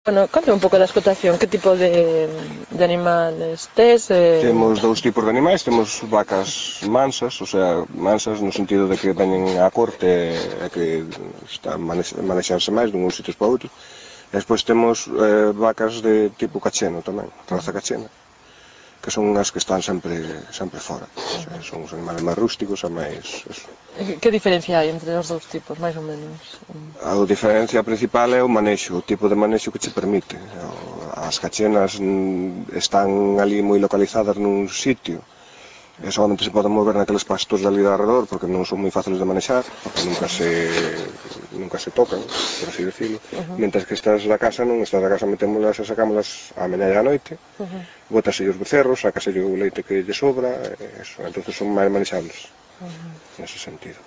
Bueno, conta un pouco da explotación, que tipo de animales tes? Temos dous tipos de animais, temos vacas mansas, o sea, mansas no sentido de que veñen á corte e que están manexarse máis dun sitios para outros. E despois temos vacas de tipo cacheno tamén, raza cachena, que son as que están sempre fora. O sea, son os animales máis rústicos e máis... Eso. Que diferencia hai entre os dous tipos, máis ou menos? A diferencia principal é o manexo, o tipo de manexo que che permite. As cachenas están ali moi localizadas nun sitio e solamente se poden mover naqueles pastos de ali de alrededor porque non son moi fáciles de manexar, porque nunca se tocan, por así decirlo. Mientras que estas da casa non, estas da casa metémolas e sacámolas á mañá e á noite, bótase os becerros, sácase o leite que lle sobra, e eso, entonces son máis manexables, nese sentido.